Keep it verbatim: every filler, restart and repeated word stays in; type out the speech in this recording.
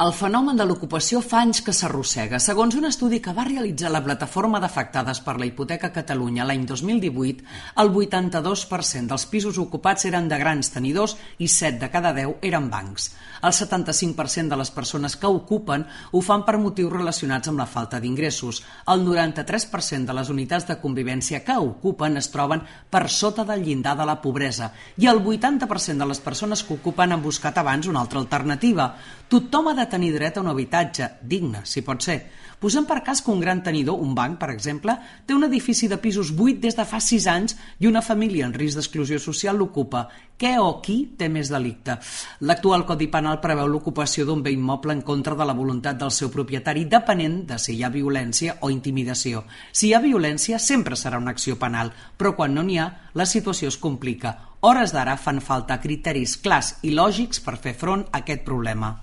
El fenomen de l'ocupació fa anys que s'arrossega. Segons un estudi que va realitzar la Plataforma d'Afectades per la Hipoteca Catalunya l'any dos mil divuit, el vuitanta-dos per cent dels pisos ocupats eren de grans tenidors i set de cada deu eren bancs. El setanta-cinc per cent de les persones que ocupen ho fan per motius relacionats amb la falta d'ingressos. El noranta-tres per cent de les unitats de convivència que ocupen es troben per sota del llindar de la pobresa i el vuitanta per cent de les persones que ocupen han buscat abans una altra alternativa. Tothom ha de tenir dret a un habitatge digne, si pot ser. Posem per cas que un gran tenidor, un banc, per exemple, té un edifici de pisos buit des de fa sis anys i una família en risc d'exclusió social l'ocupa. Què o qui té més delicte? L'actual Codi Penal preveu l'ocupació d'un bé immoble en contra de la voluntat del seu propietari, depenent de si hi ha violència o intimidació. Si hi ha violència, sempre serà una acció penal, però quan no n'hi ha, la situació es complica. Hores d'ara fan falta criteris clars i lògics per fer front a aquest problema.